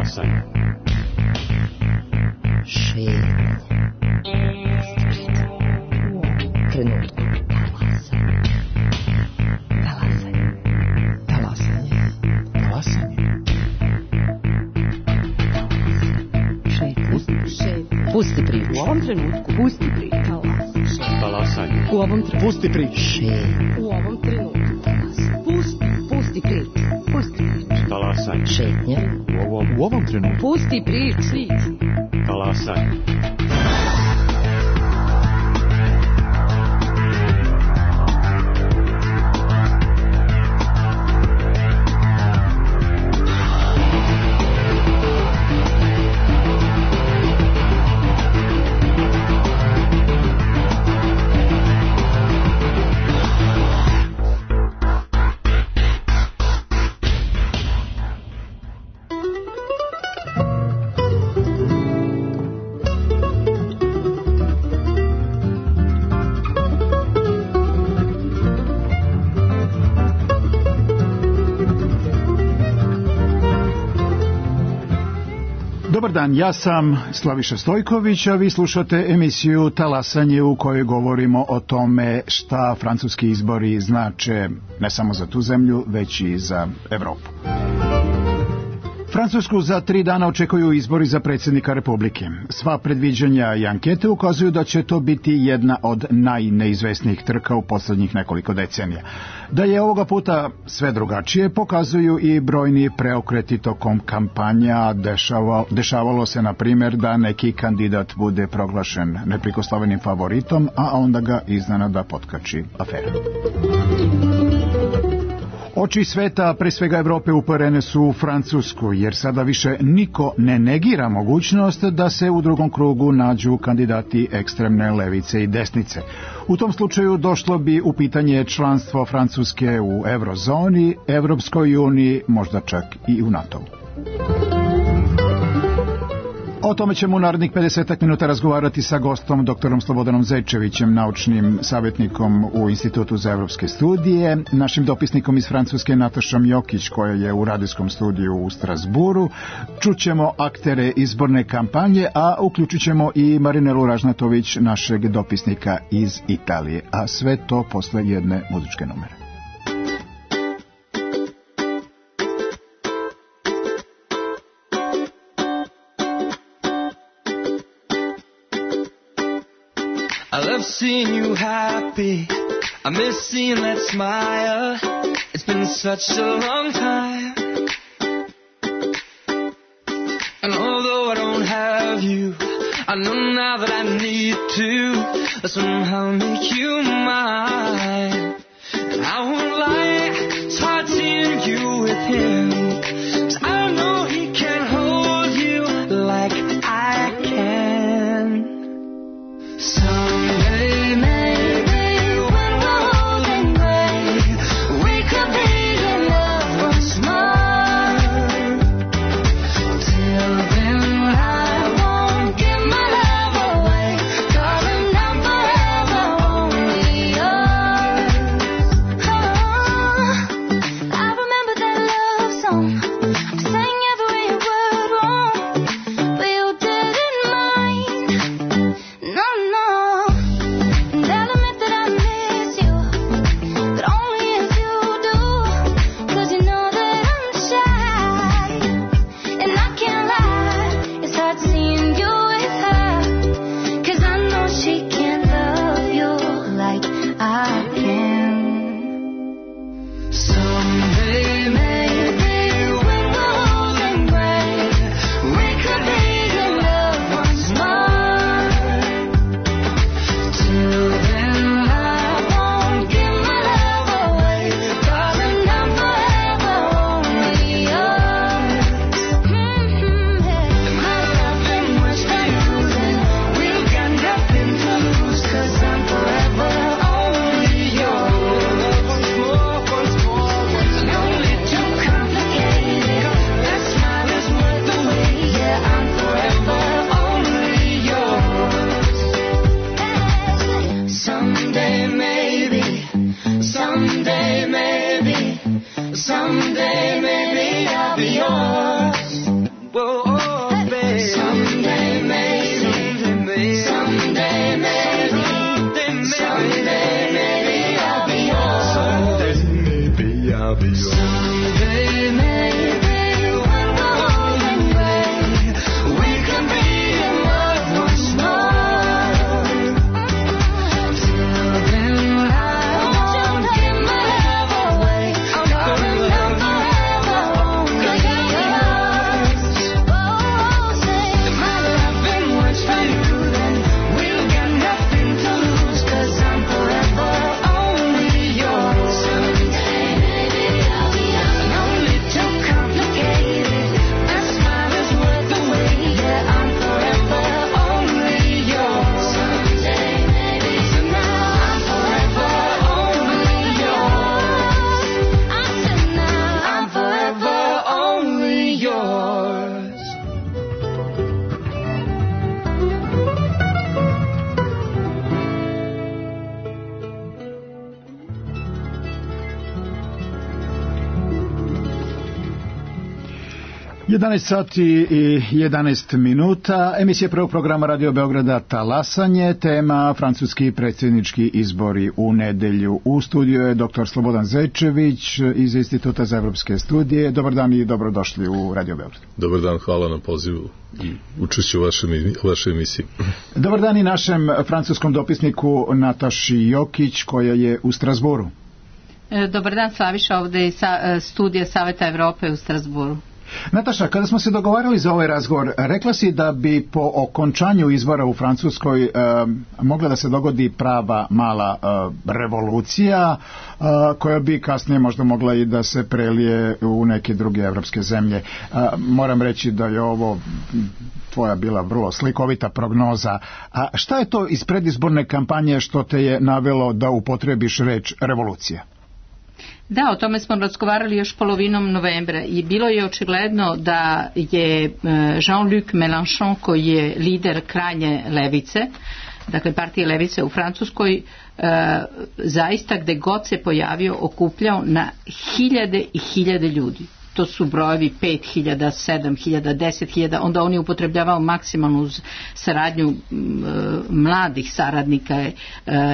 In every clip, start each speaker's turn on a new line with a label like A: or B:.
A: Talasanje.
B: Šetnja. Trenutku.
C: Pusti priču. U ovom trenutku. Pusti priču.
A: Talasanje.
C: U ovom trenutku.
D: Pusti priču.
C: U ovom trenutku. Pusti priču. Pusti priču.
A: Talasanje.
B: Šetnja.
D: U ovom trenutku.
C: Pusti priču.
A: Talasanje.
D: Dobar dan, ja sam Slaviša Stojković, a vi slušate emisiju Talasanje u kojoj govorimo o tome šta francuski izbori znače ne samo za tu zemlju, već i za Evropu. Francusku za 3 dana očekuju izbori za predsjednika Republike. Sva predviđanja i ankete ukazuju da će to biti jedna od najneizvesnijih trka u posljednjih nekoliko decenija. Da je ovoga puta sve drugačije pokazuju i brojni preokreti tokom kampanja. Dešavalo se, na primjer, da neki kandidat bude proglašen neprikosnovenim favoritom, a onda ga iznenada potkači afera. Oči sveta, pre svega Evrope, uperene su u Francusku, jer sada više niko ne negira mogućnost da se u drugom krugu nađu kandidati ekstremne levice i desnice. U tom slučaju došlo bi u pitanje članstvo Francuske u Eurozoni, Evropskoj uniji, možda čak i u NATO-u. O tome ćemo u narednih 50 minuta razgovarati sa gostom, doktorom Slobodanom Zečevićem, naučnim savjetnikom u Institutu za evropske studije, našim dopisnikom iz Francuske Natašom Jokić, koja je u radijskom studiju u Strasburu. Čućemo aktere izborne kampanje, a uključit ćemo i Marinelu Ražnatović, našeg dopisnika iz Italije. A sve to posle jedne muzičke numere.
E: I love seeing you happy. I miss seeing that smile. It's been such a long time. And although I don't have you, I know now that I need to somehow make you mine. And I won't lie, it's hard seeing you with him, 'cause I know he can't hold you like I can. Someday maybe when we're old and gray, we could be in love once more. Till then I won't give my love away, 'cause I'm not forever only yours. Oh, I remember that love song, I sang every word wrong, but you didn't mind. No, no. And I'll admit that I miss you, but only if you do, 'cause you know that I'm shy. And I can't lie, it's hard seeing you with her, 'cause I know she can't love you like I can. Someday maybe when we're old and gray, we could be in love once more. Till then I won't give my love away, 'cause I'm not forever only yours. And my love ain't much to use, and we've got nothing to lose, 'cause I'm forever only yours. No need to complicate it, that smile is worth the wait. Yeah, I'm forever only yours. Someday maybe, someday maybe, someday maybe I'll be yours. Whoa.
F: be yours.
E: Someday, maybe, when we're old and gray, we can be in love once more. Till then, I won't give my love away. Darling, I'm forever only yours. Oh, say, if my loving works for you, then we'll get nothing to lose, 'cause I'm forever only yours. Someday, maybe I'll be yours. No need to complicate it. A smile is worth the wait. Yeah, I'm forever only yours. Someday, maybe tonight, I'm forever only yours. I said now, I'm forever only yours.
D: 11 sati i 11 minuta, emisija prvog programa Radio Beograda Talasanje, tema francuski predsjednički izbori u nedelju. U studiju je dr. Slobodan Zečević iz Instituta za evropske studije. Dobar dan i dobrodošli u Radio Beograd.
F: Dobar dan, hvala na pozivu i učešću u vašoj emisiji.
D: Dobar dan i našem francuskom dopisniku Nataši Jokić koja je u Strasburu.
C: Dobar dan, Slaviša, ovdje iz studija Saveta Evrope u Strasburu.
D: Nataša, kada smo se dogovarali za ovaj razgovor, rekla si da bi po okončanju izbora u Francuskoj mogla da se dogodi prava mala revolucija koja bi kasnije možda mogla i da se prelije u neke druge evropske zemlje. Moram reći da je ovo tvoja bila vrlo slikovita prognoza. A šta je to iz predizborne kampanje što te je navelo da upotrebiš reč revolucija?
C: Da, o tome smo razgovarali još polovinom novembra i bilo je očigledno da je Jean-Luc Mélenchon, koji je lider krajnje levice, dakle partije levice u Francuskoj, zaista gde god se pojavio okupljao na hiljade i hiljade ljudi. To su brojevi 5.000, 7.000, 10.000, onda on je upotrebljavao maksimalnu uz saradnju mladih saradnika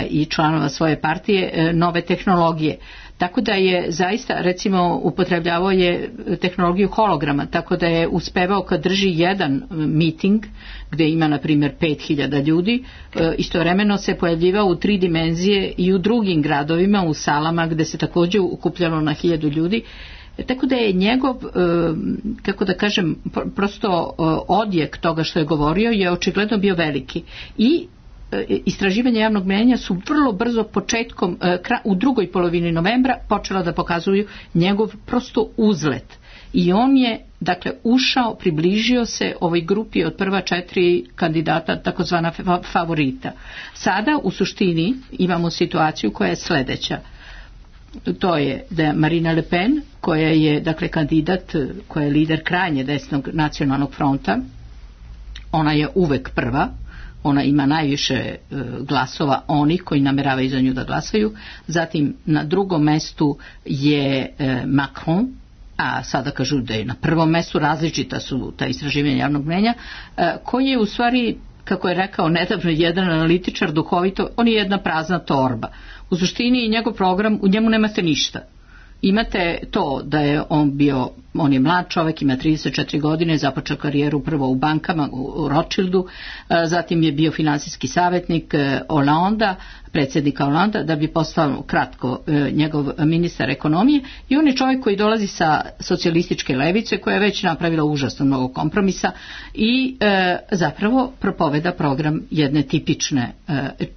C: i članova svoje partije nove tehnologije. Tako da je zaista, recimo, upotrebljavao je tehnologiju holograma, tako da je uspevao kad drži jedan miting gdje ima, na primjer, 5.000 ljudi, istovremeno se pojavljivao u 3 dimenzije i u drugim gradovima, u salama gdje se također okupljalo na 1.000 ljudi. Tako da je njegov, kako da kažem, prosto odjek toga što je govorio je očigledno bio veliki. I istraživanja javnog mnijenja su vrlo brzo početkom, u drugoj polovini novembra počela da pokazuju njegov prosto uzlet. I on je, dakle, ušao, približio se ovoj grupi od prva 4 kandidata, takozvana favorita. Sada u suštini imamo situaciju koja je sljedeća. To je da je Marine Le Pen, koja je, dakle, kandidat, koja je lider krajnje desnog nacionalnog fronta, ona je uvek prva, ona ima najviše glasova onih koji nameravaju za nju da glasaju. Zatim na drugom mestu je Macron, a sada kažu da je na prvom mestu, različita su ta istraživanja javnog mnijenja, koji je u stvari, kako je rekao nedavno jedan analitičar duhovito, on je jedna prazna torba. U suštini njegov program, u njemu nemate ništa. Imate to da je on je mlad čovjek, ima 34 godine, započeo karijeru prvo u bankama u Rothschildu, zatim je bio financijski savjetnik Hollanda, predsjednika Hollanda, da bi postao kratko njegov ministar ekonomije, i on je čovjek koji dolazi sa socijalističke levice koja je već napravila užasno mnogo kompromisa i zapravo propoveda program jedne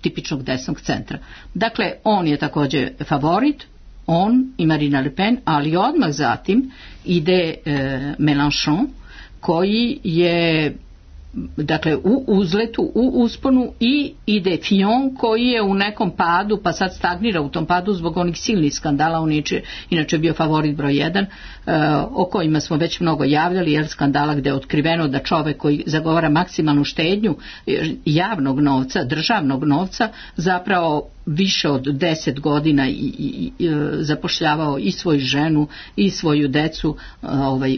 C: tipičnog desnog centra. Dakle, on je također favorit, on i Marine Le Pen, ali odmah zatim ide Mélenchon, koji je, dakle, u uzletu, u usponu, i ide Fillon, koji je u nekom padu, pa sad stagnira u tom padu zbog onih silnih skandala. On je inače bio favorit broj 1, o kojima smo već mnogo javljali, jer skandala gdje je otkriveno da čovjek koji zagovara maksimalnu štednju javnog novca, državnog novca, zapravo više od 10 godina i zapošljavao i svoju ženu i svoju decu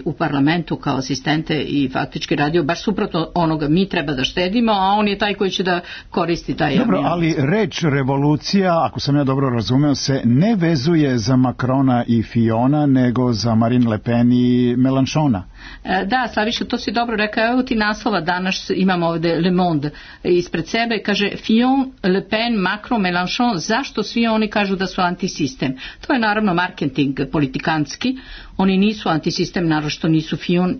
C: u parlamentu kao asistente i faktički radio baš suprotno onoga, mi treba da štedimo, a on je taj koji će da koristi taj javni.
D: Dobro, ali reč revolucija, ako sam ja dobro razumeo, se ne vezuje za Macrona i Fillona, nego za Marine Le Pen i Mélenchona.
C: Da, Slaviša, to si dobro rekao. Evo ti naslova, danas imamo ovde Le Monde ispred sebe, kaže Fillon, Le Pen, Macron, Mélenchon, zašto svi oni kažu da su antisistem? To je naravno marketing politikanski, oni nisu antisistem, naročito nisu Fillon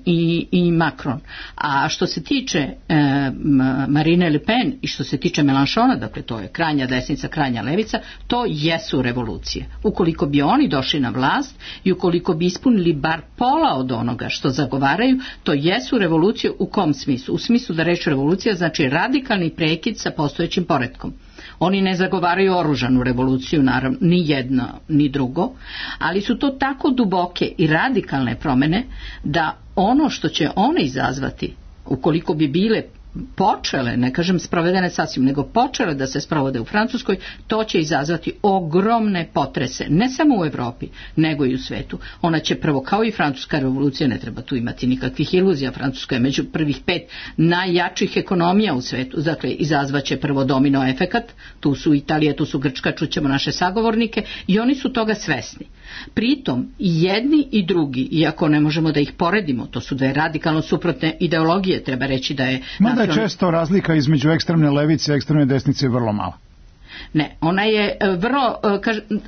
C: i Macron. A što se tiče Marine Le Pen i što se tiče Mélenchona, dakle to je krajnja desnica, krajnja levica, to jesu revolucije. Ukoliko bi oni došli na vlast i ukoliko bi ispunili bar pola od onoga što zagovaraju, to jesu revolucije. U kom smislu? U smislu da reč revolucija znači radikalni prekid sa postojećim poretkom. Oni ne zagovaraju oružanu revoluciju, naravno, ni jedno, ni drugo, ali su to tako duboke i radikalne promjene da ono što će one izazvati, ukoliko bi bile počele, ne kažem sprovedene sasvim, nego počele da se sprovode u Francuskoj, to će izazvati ogromne potrese, ne samo u Evropi, nego i u svetu. Ona će prvo, kao i francuska revolucija, ne treba tu imati nikakvih iluzija, Francuska je među prvih 5 najjačih ekonomija u svetu, dakle izazvaće prvo domino efekat, tu su Italija, tu su Grčka, čućemo naše sagovornike i oni su toga svesni. Pritom i jedni i drugi, iako ne možemo da ih poredimo, to su dve radikalno suprotne ideologije, treba reći da je...
D: Mada je često razlika između ekstremne levice i ekstremne desnice vrlo mala.
C: Ne, ona je vrlo,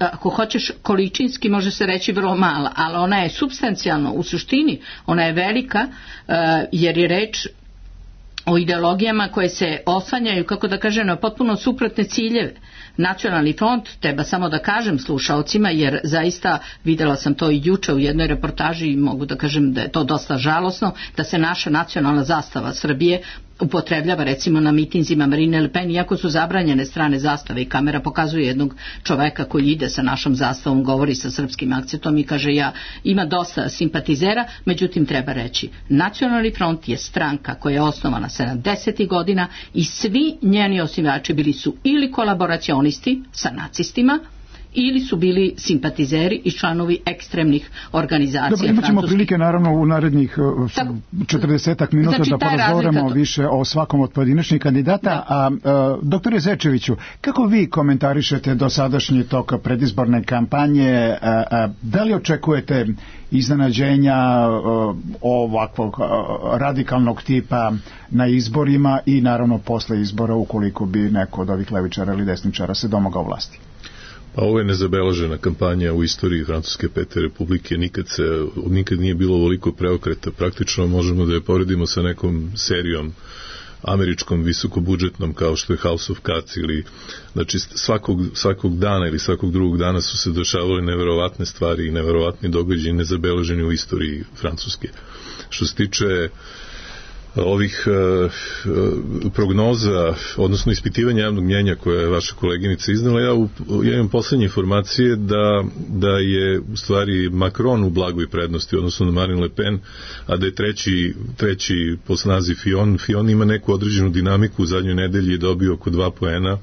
C: ako hoćeš količinski može se reći vrlo mala, ali ona je supstancijalno, u suštini ona je velika, jer je reč o ideologijama koje se oslanjaju, kako da kažem, na potpuno suprotne ciljeve. Nacionalni front, treba samo da kažem slušaocima, jer zaista videla sam to i juče u jednoj reportaži i mogu da kažem da je to dosta žalosno, da se naša nacionalna zastava Srbije upotrebljava recimo na mitinzima Marine Le Pen, iako su zabranjene strane zastave i kamera pokazuje jednog čoveka koji ide sa našom zastavom, govori sa srpskim akcentom i kaže ima dosta simpatizera, međutim treba reći, Nacionalni front je stranka koja je osnovana 70. godina i svi njeni osnivači bili su ili kolaboracionisti sa nacistima, ili su bili simpatizeri i članovi ekstremnih organizacija.
D: Dobro, imat ćemo prilike naravno u narednih 40 minuta znači, da porazgovaramo više o svakom od pojedinačnih kandidata. A doktore Zečeviću, kako vi komentarišete dosadašnji tok predizborne kampanje? Da li očekujete iznenađenja ovakvog radikalnog tipa na izborima i naravno posle izbora ukoliko bi neko od ovih levičara ili desničara se domogao vlasti?
F: Pa ovo je nezabeležena kampanja u istoriji Francuske pete republike, nikad nije bilo ovoliko preokreta, praktično možemo da je poredimo sa nekom serijom američkom visokobudžetnom kao što je House of Cards ili znači svakog dana ili svakog drugog dana su se dešavale neverovatne stvari i neverovatni događaji nezabeleženi u istoriji Francuske. Što se tiče ovih prognoza, odnosno ispitivanja javnog mnjenja koje je vaša koleginica iznala, ja imam poslednje informacije da je u stvari Macron u blagoj prednosti, odnosno na Marine Le Pen, a da je treći po snazi Fillon ima neku određenu dinamiku, u zadnjoj nedelji je dobio oko 2 poena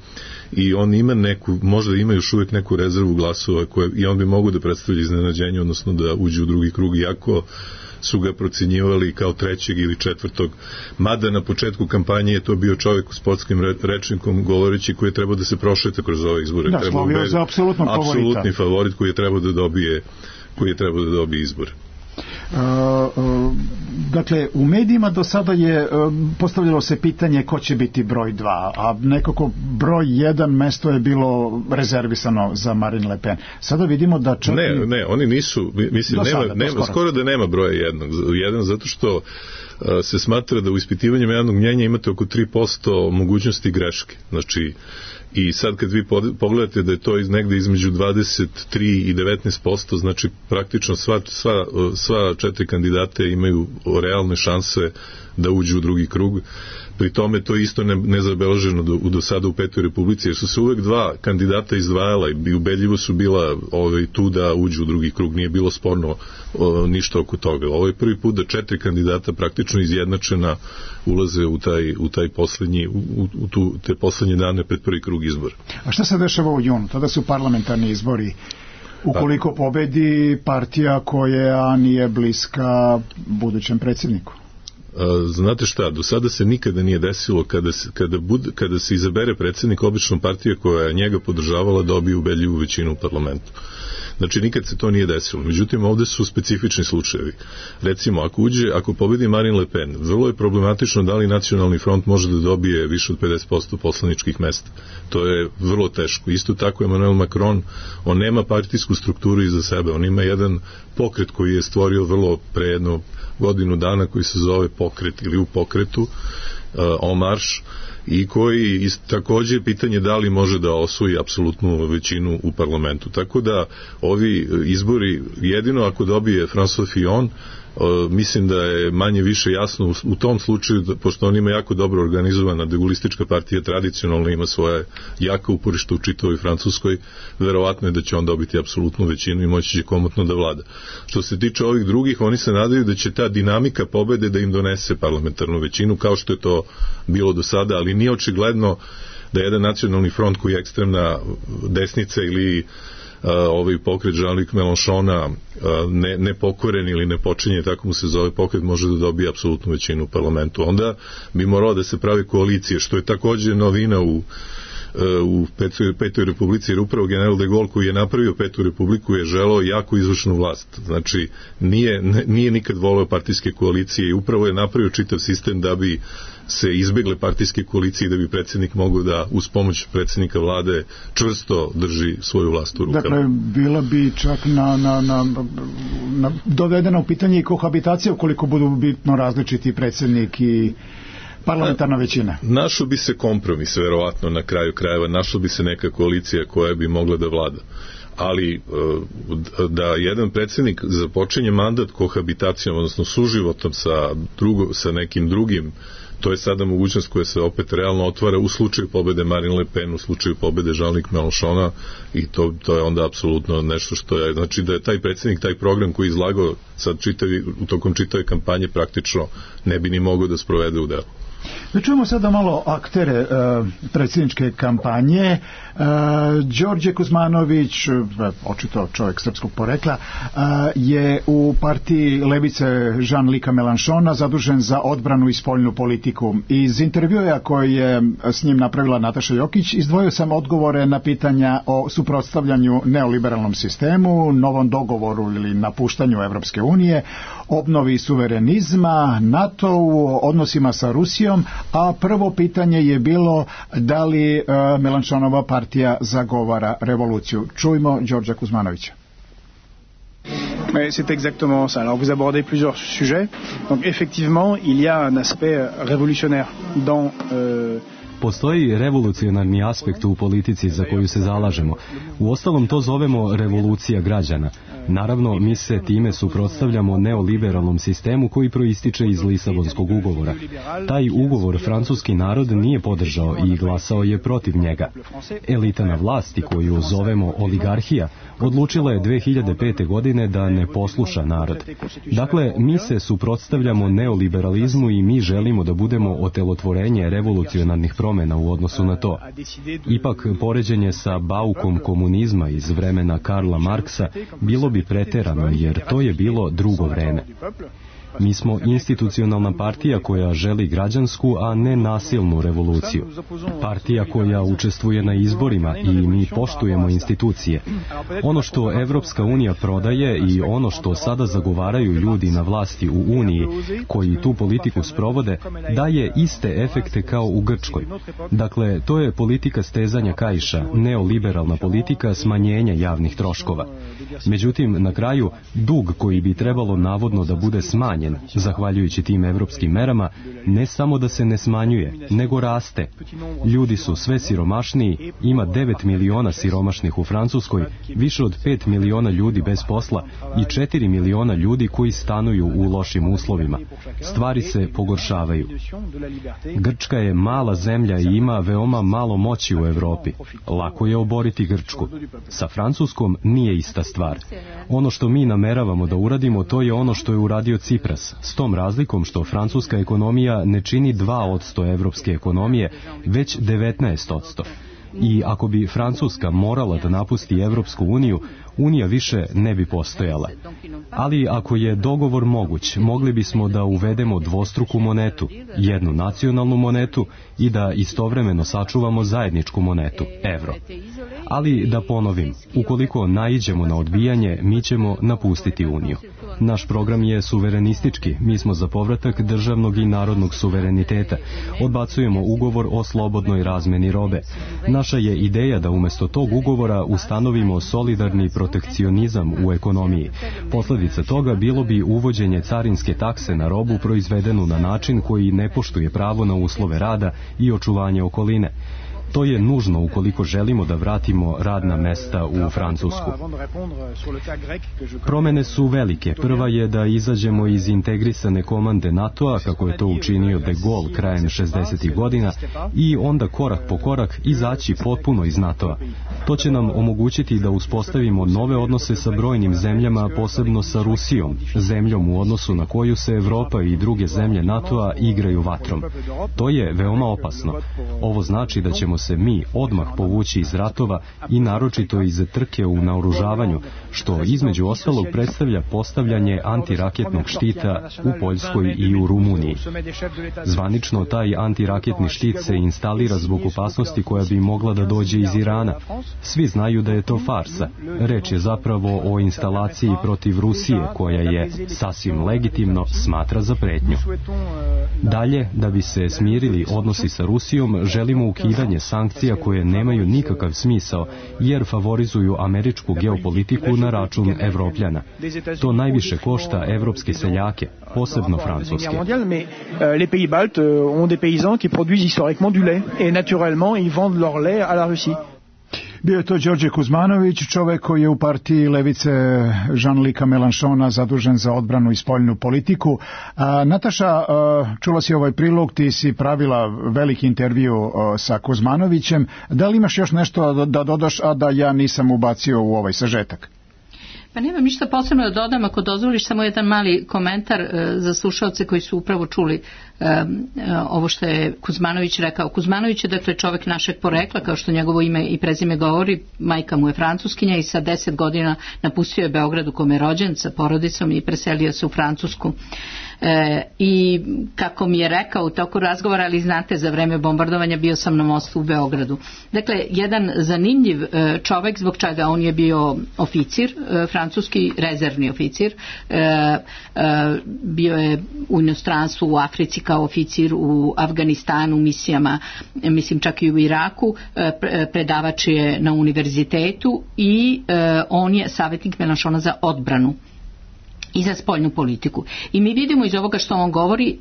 F: i on ima možda ima još uvijek neku rezervu glasova i on bi mogu da predstavlja iznenađenje, odnosno da uđe u drugi krug, iako su ga procenjivali kao 3. ili 4. Mada na početku kampanje je to bio čovjek u sportskim rečnikom govoreći koji je trebao da se prošeta kroz ove izbore.
D: Da, slovio za
F: apsolutni favorit koji je trebao da dobije izbore.
D: Dakle, u medijima do sada je postavljalo se pitanje ko će biti broj 2, a nekako broj 1 mesto je bilo rezervisano za Marine Le Pen. Sada vidimo da čak...
F: Ne, oni nisu, mislim, skoro da nema broja 1, zato što se smatra da u ispitivanju javnog mnjenja imate oko 3% mogućnosti greške. Znači, i sad kad vi pogledate da je to negde između 23 i 19%, znači praktično sva 4 kandidate imaju realne šanse da uđu u drugi krug. pri tome to je isto nezabeleženo do sada u Petoj Republici, jer su se uvek dva kandidata izdvajala i ubedljivo su bila tu da uđu u drugi krug, nije bilo sporno ništa oko toga. Ovo je prvi put da 4 kandidata praktično izjednačena ulaze u taj poslednji, te poslednje dane pred prvi krug izbora.
D: A šta se dešava u junu? Tada su parlamentarni izbori. Ukoliko pobedi partija koja nije bliska budućem predsjedniku?
F: Znate šta, do sada se nikada nije desilo kada se izabere predsjednik, obično partija koja je njega podržavala dobije ubedljivu većinu u parlamentu. Znači nikad se to nije desilo. Međutim, ovde su specifični slučajevi. Recimo, ako pobedi Marine Le Pen, vrlo je problematično da li Nacionalni front može da dobije više od 50% poslaničkih mesta. To je vrlo teško. Isto tako Emmanuel Macron, on nema partijsku strukturu iza sebe, on ima jedan pokret koji je stvorio vrlo pre jedno godinu dana, koji se zove Pokret ili u pokretu, En Marche, i koji takođe pitanje da li može da osvoji apsolutnu većinu u parlamentu. Tako da ovi izbori, jedino ako dobije François Fillon, mislim da je manje više jasno u tom slučaju, pošto on ima jako dobro organizovana degulistička partija, tradicionalno ima svoje jaka uporišta u čitavoj Francuskoj, verovatno je da će on dobiti apsolutnu većinu i moći će komotno da vlada. Što se tiče ovih drugih, oni se nadaju da će ta dinamika pobede da im donese parlamentarnu većinu, kao što je to bilo do sada, ali nije očigledno da jedan Nacionalni front koji je ekstremna desnica ili ovaj pokret Jean-Luc Mélenchona nepokoren ili ne počinje, tako mu se zove pokret, može da dobije apsolutnu većinu u parlamentu. Onda bi moralo da se pravi koalicije, što je takođe novina u Petoj Republici, jer upravo general de Gaulle koji je napravio Petu Republiku je želeo jako izvršnu vlast. Znači, nije nikad voleo partijske koalicije i upravo je napravio čitav sistem da bi se izbegle partijske koalicije i da bi predsjednik mogao da uz pomoć predsjednika vlade čvrsto drži svoju vlast u rukama.
D: Dakle, bila bi čak dovedena u pitanje i kohabitacija ukoliko budu bitno različiti predsjednik i parlamentarna većina.
F: Našao bi se kompromis, verovatno na kraju krajeva, našao bi se neka koalicija koja bi mogla da vlada. Ali da jedan predsjednik započinje mandat kohabitacijom, odnosno suživotom sa nekim drugim, to je sada mogućnost koja se opet realno otvara u slučaju pobede Marine Le Pen, u slučaju pobede Jean-Luc Mélenchona, i to je onda apsolutno nešto što je, znači da je taj predsjednik, taj program koji je izlagao sad tokom čitave kampanje praktično ne bi ni mogao da sprovede u delu.
D: Da čujemo sada malo aktere predsjedničke kampanje. Đorđe Kuzmanović, očito čovjek srpskog porekla, je u partiji levice Jean-Luca Mélenchona zadužen za odbranu i spoljnu politiku. Iz intervjua koji je s njim napravila Nataša Jokić, izdvojio sam odgovore na pitanja o suprotstavljanju neoliberalnom sistemu, novom dogovoru ili napuštanju Evropske unije, obnovi suverenizma, NATO-u, odnosima sa Rusijom, a prvo pitanje je bilo da li Mélenchonova partija zagovara revoluciju. Čujmo Đorđa Kuzmanovića.
G: C'est exactement ça. Alors vous abordez plusieurs sujets. Donc effectivement, il y a un aspect révolutionnaire dans
H: Postoji revolucionarni aspekt u politici za koju se zalažemo. Uostalom to zovemo revolucija građana. Naravno, mi se time suprotstavljamo neoliberalnom sistemu koji proističe iz Lisabonskog ugovora. Taj ugovor francuski narod nije podržao i glasao je protiv njega. Elita na vlasti, koju zovemo oligarhija, odlučila je 2005. godine da ne posluša narod. Dakle, mi se suprotstavljamo neoliberalizmu i mi želimo da budemo otelotvorenje revolucionarnih promjena u odnosu na to. Ipak, poređenje sa baukom komunizma iz vremena Karla Marksa bilo bi preterano, jer to je bilo drugo vreme. Mi smo institucionalna partija koja želi građansku, a ne nasilnu revoluciju. Partija koja učestvuje na izborima i mi poštujemo institucije. Ono što Evropska unija prodaje i ono što sada zagovaraju ljudi na vlasti u Uniji, koji tu politiku sprovode, daje iste efekte kao u Grčkoj. Dakle, to je politika stezanja kaiša, neoliberalna politika smanjenja javnih troškova. Međutim, na kraju, dug koji bi trebalo navodno da bude smanjen, smanjen. Zahvaljujući tim evropskim merama, ne samo da se ne smanjuje, nego raste. Ljudi su sve siromašniji, ima 9 miliona siromašnih u Francuskoj, više od 5 miliona ljudi bez posla i 4 miliona ljudi koji stanuju u lošim uslovima. Stvari se pogoršavaju. Grčka je mala zemlja i ima veoma malo moći u Evropi. Lako je oboriti Grčku. Sa Francuskom nije ista stvar. Ono što mi nameravamo da uradimo, to je ono što je uradio Cipras, s tom razlikom što francuska ekonomija ne čini 2% evropske ekonomije, već 19%. I ako bi Francuska morala da napusti Evropsku uniju, Unija više ne bi postojala. Ali ako je dogovor moguć, mogli bismo da uvedemo dvostruku monetu, jednu nacionalnu monetu i da istovremeno sačuvamo zajedničku monetu, evro. Ali da ponovim, ukoliko naiđemo na odbijanje, mi ćemo napustiti Uniju. Naš program je suverenistički, mi smo za povratak državnog i narodnog suvereniteta. Odbacujemo ugovor o slobodnoj razmeni robe. Naša je ideja da umjesto tog ugovora ustanovimo solidarni protekcionizam u ekonomiji. Posljedica toga bilo bi uvođenje carinske takse na robu proizvedenu na način koji ne poštuje pravo na uslove rada i očuvanje okoline. To je nužno ukoliko želimo da vratimo radna mesta u Francusku. Promene su velike. Prva je da izađemo iz integrisane komande NATO-a, kako je to učinio de Gaulle krajem 60. godina, i onda korak po korak izaći potpuno iz NATO-a. To će nam omogućiti da uspostavimo nove odnose sa brojnim zemljama, posebno sa Rusijom, zemljom u odnosu na koju se Evropa i druge zemlje NATO-a igraju vatrom. To je veoma opasno. Ovo znači da ćemo se mi odmah povući iz ratova i naročito iz trke u naoružavanju, što između ostalog predstavlja postavljanje antiraketnog štita u Poljskoj i u Rumuniji. Zvanično taj antiraketni štit se instalira zbog opasnosti koja bi mogla da dođe iz Irana. Svi znaju da je to farsa. Reč je zapravo o instalaciji protiv Rusije, koja je sasvim legitimno smatra za pretnju. Dalje, da bi se smirili odnosi sa Rusijom, želimo ukidanje sankcija koje nemaju nikakav smisao, jer favorizuju američku geopolitiku na račun Evropljana. To najviše košta evropske seljake, posebno francuske.
G: Les pays baltes ont des paysans qui produisent historiquement du lait et naturellement ils vendent leur lait à la Russie.
D: Bio je to Đorđe Kuzmanović, čovek koji je u partiji levice Jean-Luca Mélenchona zadužen za odbranu i spoljnu politiku. Nataša, čula si ovaj prilog, ti si pravila veliki intervju sa Kuzmanovićem. Da li imaš još nešto da dodaš, a da ja nisam ubacio u ovaj sažetak?
C: Pa nemam ništa posebno da dodam, ako dozvoliš samo jedan mali komentar za slušalce koji su upravo čuli ovo što je Kuzmanović rekao. Kuzmanović je dakle čovjek našeg porekla, kao što njegovo ime i prezime govori, majka mu je Francuskinja i sa 10 godina napustio je Beograd u kome je rođen sa porodicom i preselio se u Francusku. I kako mi je rekao u toku razgovora, ali znate, za vreme bombardovanja bio sam na mostu u Beogradu. Dakle, jedan zanimljiv čovjek, zbog čega on je bio oficir, francuski rezervni oficir, bio je u inostranstvu, u Africi kao oficir, u Afganistanu, misijama, mislim čak i u Iraku, predavač je na univerzitetu i on je savjetnik Mélenchona za odbranu i za spoljnu politiku. I mi vidimo iz ovoga što on govori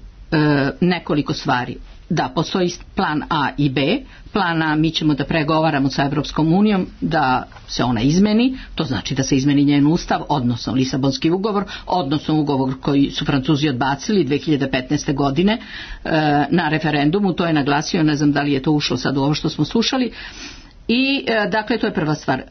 C: nekoliko stvari. Da, postoji plan A i B. Plan A, mi ćemo da pregovaramo sa Evropskom unijom da se ona izmeni, to znači da se izmeni njen ustav, odnosno Lisabonski ugovor, odnosno ugovor koji su Francuzi odbacili 2015. godine na referendumu, to je naglasio, ne znam da li je to ušlo sad u ovo što smo slušali. I dakle, to je prva stvar.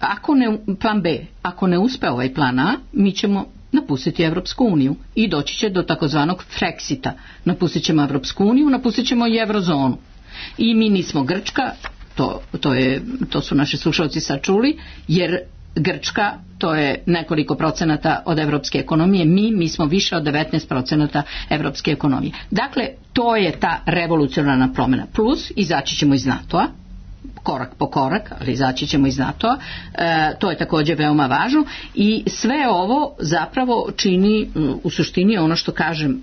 C: Plan B, ako ne uspe ovaj plan A, mi ćemo napustiti Evropsku uniju i doći će do takozvanog Frexita. Napustit ćemo Evropsku uniju, napustit ćemo i Eurozonu. I mi nismo Grčka, to su naši slušalci sad čuli, jer Grčka to je nekoliko procenata od evropske ekonomije, mi smo više od 19% evropske ekonomije. Dakle, to je ta revolucionarna promjena. Plus, izaći ćemo iz NATO-a, korak po korak, ali izaći ćemo iz NATO-a, to je također veoma važno i sve ovo zapravo čini u suštini ono što kažem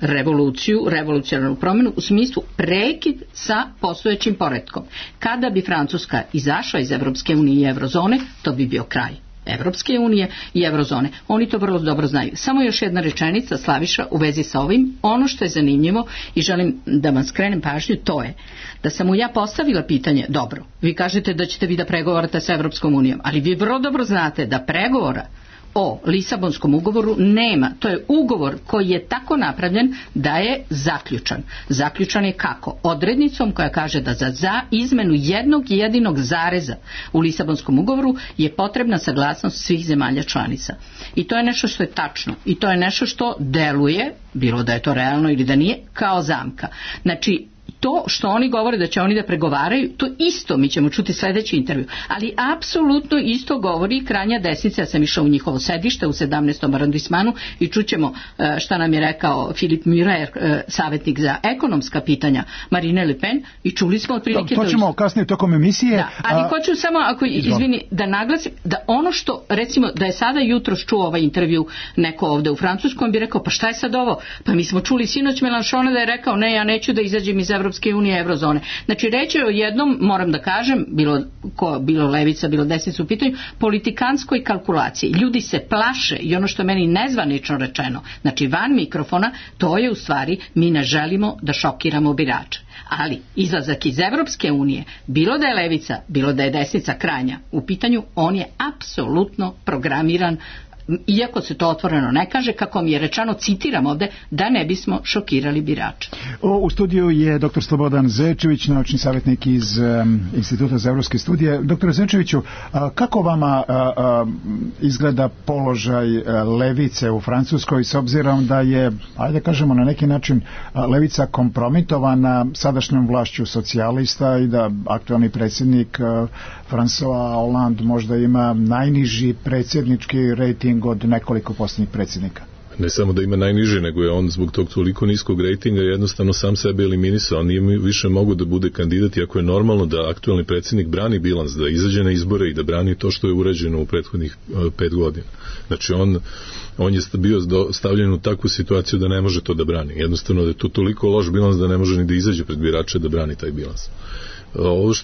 C: revolucionarnu promjenu u smislu prekid sa postojećim poretkom. Kada bi Francuska izašla iz Evropske unije i Eurozone, to bi bio kraj. Evropske unije i Eurozone. Oni to vrlo dobro znaju. Samo još jedna rečenica, Slaviša, u vezi sa ovim. Ono što je zanimljivo i želim da vam skrenem pažnju, to je da sam mu ja postavila pitanje, dobro, vi kažete da ćete vi da pregovarate sa Evropskom unijom, ali vi vrlo dobro znate da pregovora o Lisabonskom ugovoru nema. To je ugovor koji je tako napravljen da je zaključan. Zaključan je kako? Odrednicom koja kaže da za izmenu jednog jedinog zareza u Lisabonskom ugovoru je potrebna saglasnost svih zemalja članica. I to je nešto što je tačno. I to je nešto što deluje, bilo da je to realno ili da nije, kao zamka. Znači, to što oni govore da će oni da pregovaraju, to isto mi ćemo čuti sljedeći intervju, ali apsolutno isto govori krajnja desnica. Ja sam išla u njihovo sedište u 17. arondismanu i čućemo šta nam je rekao Filip Murer, savjetnik za ekonomska pitanja Marine Le Pen, i čuli smo otprilike
D: to ćemo kasnije tokom emisije.
C: Da, ali hoću samo, ako izvini, da naglasim da ono što, recimo, da je sada jutros čuo ovaj intervju neko ovde u Francuskom, bi rekao, pa šta je sad ovo? Pa mi smo čuli sinoć Melanchona da je rekao, ne, ja neću da izađem iz Evropske unije, Eurozone. Znači, reći je o jednom, moram da kažem, bilo levica, bilo desnica u pitanju, politikanskoj kalkulaciji. Ljudi se plaše i ono što je meni nezvanično rečeno, znači van mikrofona, to je u stvari, mi ne želimo da šokiramo birače. Ali izlazak iz Evropske unije, bilo da je levica, bilo da je desnica krajnja u pitanju, on je apsolutno programiran, iako se to otvoreno ne kaže, kako mi je rečeno, citiram ovde, da ne bismo šokirali birače.
D: U studiju je dr. Slobodan Zečević, naučni savjetnik iz Instituta za evropske studije. Dr. Zečeviću, kako vama izgleda položaj levice u Francuskoj, s obzirom da je, ajde kažemo na neki način, levica kompromitovana sadašnjom vlašću socijalista i da aktualni predsjednik François Hollande možda ima najniži predsjednički rejting od nekoliko posljednjih predsjednika?
F: Ne samo da ima najniže, nego je on zbog tog toliko niskog rejtinga jednostavno sam sebe eliminisao. On nije više mogu da bude kandidat, iako je normalno da aktualni predsjednik brani bilans, da izađe na izbore i da brani to što je urađeno u prethodnih 5 godina. Znači on je bio stavljen u takvu situaciju da ne može to da brani. Jednostavno da je to toliko loš bilans da ne može ni da izađe pred birače da brani taj bilans. Ovo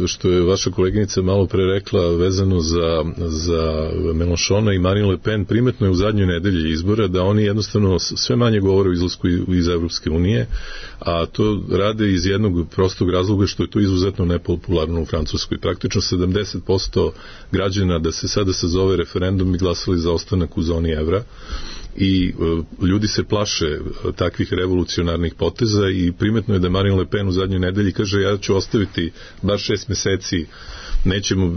F: što je vaša koleginica malo pre rekla vezano za Melanchona i Marine Le Pen, primetno je u zadnjoj nedelji izbora da oni jednostavno sve manje govore o izlasku iz Evropske unije, a to rade iz jednog prostog razloga što je to izuzetno nepopularno u Francuskoj. Praktično 70% građana da se sada sazove referendum i glasali za ostanak u zoni evra, i ljudi se plaše takvih revolucionarnih poteza i primetno je da Marine Le Pen u zadnjoj nedelji kaže, ja ću ostaviti bar 6 meseci,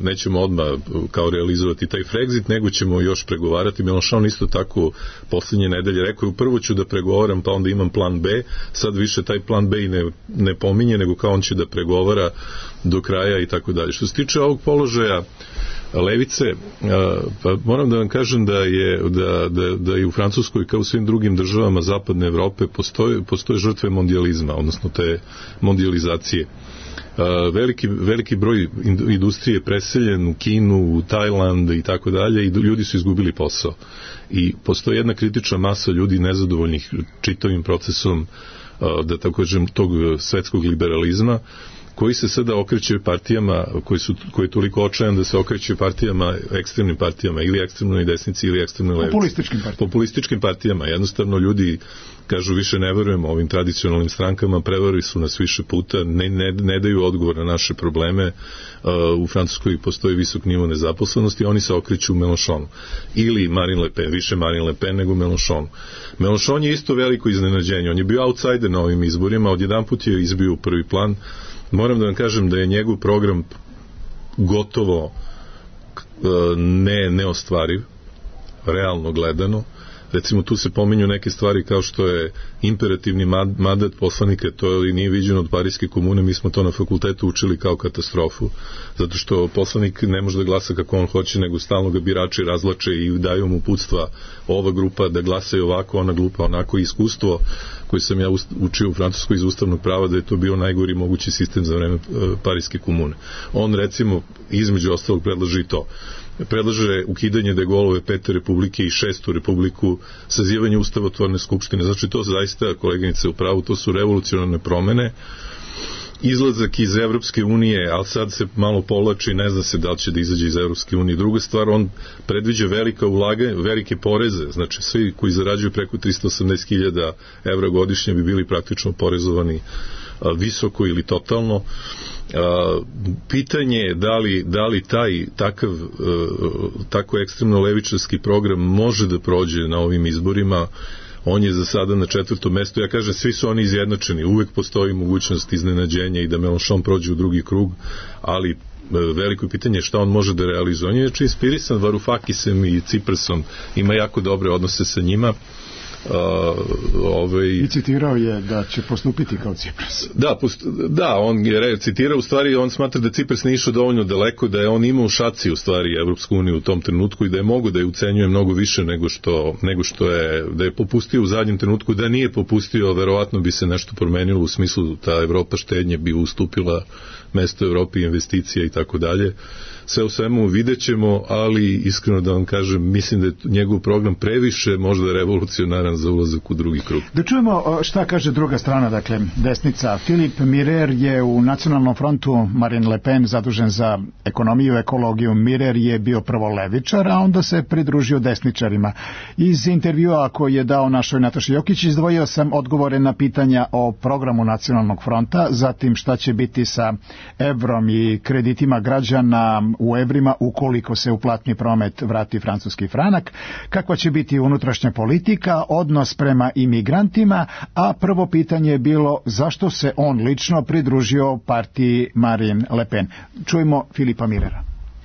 F: nećemo odmah kao realizovati taj Frexit, nego ćemo još pregovarati. Mélenchon isto tako posljednje nedelje rekao, prvo ću da pregovaram pa onda imam plan B, sad više taj plan B i ne pominje, nego kao on će da pregovara do kraja i tako dalje. Što se tiče ovog položaja levice, pa moram da vam kažem da je u Francuskoj kao u svim drugim državama zapadne Evrope postoje žrtve mondijalizma, odnosno te mondijalizacije. Veliki broj industrije je preseljen u Kinu, u Tajland i tako dalje i ljudi su izgubili posao. I postoji jedna kritična masa ljudi nezadovoljnih čitavim procesom, da tako kažem, tog svetskog liberalizma, koji se sada okreće partijama koji je toliko očajan da se okreće partijama, ekstremnim partijama, ili ekstremnoj desnici ili ekstremnoj levici. Populističkim partijama. Jednostavno ljudi kažu, više ne verujemo ovim tradicionalnim strankama, prevarili su nas više puta, ne daju odgovor na naše probleme. U Francuskoj postoji visok nivo nezaposlenosti i oni se okreću Mélenchonu. Ili Marine Le Pen, više Marine Le Pen nego Mélenchonu. Mélenchon je isto veliko iznenađenje. On je bio outsider na ovim izborima, odjedanput je izbio u prvi plan. Moram da vam kažem da je njegov program gotovo neostvariv, realno gledano. Recimo, tu se pominju neke stvari kao što je imperativni mandat poslanika, to nije viđeno od Pariske komune, mi smo to na fakultetu učili kao katastrofu, zato što poslanik ne može da glasa kako on hoće, nego stalno ga birači razlače i daju mu uputstva, ova grupa da glasaju ovako, ona grupa onako. Iskustvo koje sam ja učio u Francuskoj iz ustavnog prava, da je to bio najgori mogući sistem za vreme Pariske komune. On, recimo, između ostalog predlaže i to. Predlaže ukidanje de Gaulleove 5. republike i 6. republiku, sazivanje ustavotvorne skupštine. Znači, to zaista, koleginice u pravu, to su revolucionarne promene izlazak iz Evropske unije, ali sad se malo povlači, ne zna se da li će da izađe iz Evropske unije. Druga stvar, on predviđa velika ulaganja, velike poreze, znači svi koji zarađuju preko 380.000 evra godišnje bi bili praktično porezovani visoko ili totalno. Pitanje je da li taj tako ekstremno levičarski program može da prođe na ovim izborima. On je za sada na 4. mestu. Ja kažem, svi su oni izjednačeni. Uvek postoji mogućnost iznenađenja i da Mélenchon prođe u drugi krug, ali veliko pitanje je šta on može da realizuje. On je znači inspirisan Varufakisem i Ciprasom, ima jako dobre odnose sa njima.
D: I citirao je da će postupiti kao Cipras.
F: Da, on je citirao, u stvari on smatra da Cipras nije išao dovoljno daleko, da je on imao u šaci u stvari Evropsku uniju u tom trenutku i da je mogu da je ucenjuje mnogo više nego što je, da je popustio u zadnjem trenutku, da nije popustio, verovatno bi se nešto promenilo u smislu ta Evropa štednje bi ustupila mesto Evropi, investicija i tako dalje. Sve u svemu vidjet ćemo, ali iskreno da vam kažem, mislim da je njegov program previše možda revolucionaran za ulazak u drugi krug.
D: Da čujemo šta kaže druga strana, dakle desnica. Filip Mirer je u Nacionalnom frontu, Marine Le Pen zadužen za ekonomiju, ekologiju. Mirer je bio prvo levičar, a onda se pridružio desničarima. Iz intervjua koji je dao našoj Nataši Jokić izdvojio sam odgovore na pitanja o programu Nacionalnog fronta, zatim šta će biti sa evrom i kreditima građana u evrima ukoliko se u platni promet vrati francuski franak, kakva će biti unutrašnja politika, odnos prema imigrantima, a prvo pitanje je bilo zašto se on lično pridružio partiji Marine Le Pen. Čujemo Filipa Mirera.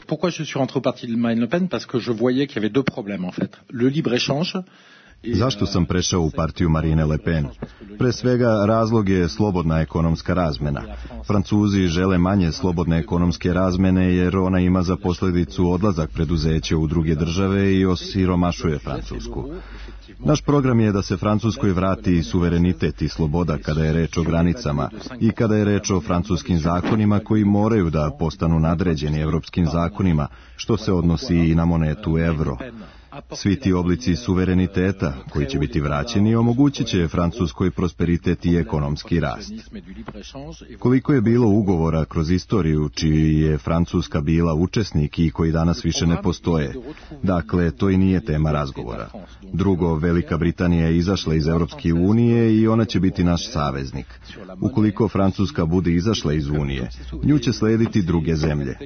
I: Pourquoi je suis rentré au parti de Marine Le Pen? Parce que je voyais qu'il y avait deux problèmes en fait. Le libre-échange.
J: Zašto sam prešao u partiju Marine Le Pen? Pre svega razlog je slobodna ekonomska razmena. Francuzi žele manje slobodne ekonomske razmene jer ona ima za posljedicu odlazak preduzeća u druge države i osiromašuje Francusku. Naš program je da se Francuskoj vrati suverenitet i sloboda kada je reč o granicama i kada je reč o francuskim zakonima koji moraju da postanu nadređeni evropskim zakonima, što se odnosi i na monetu evro. Svi ti oblici suvereniteta koji će biti vraćeni omogućit će Francuskoj prosperitet i ekonomski rast. Koliko je bilo ugovora kroz istoriju čiji je Francuska bila učesnik i koji danas više ne postoje. Dakle, to i nije tema razgovora. Drugo, Velika Britanija je izašla iz Evropske unije i ona će biti naš saveznik. Ukoliko Francuska bude izašla iz Unije, nju će slediti druge zemlje.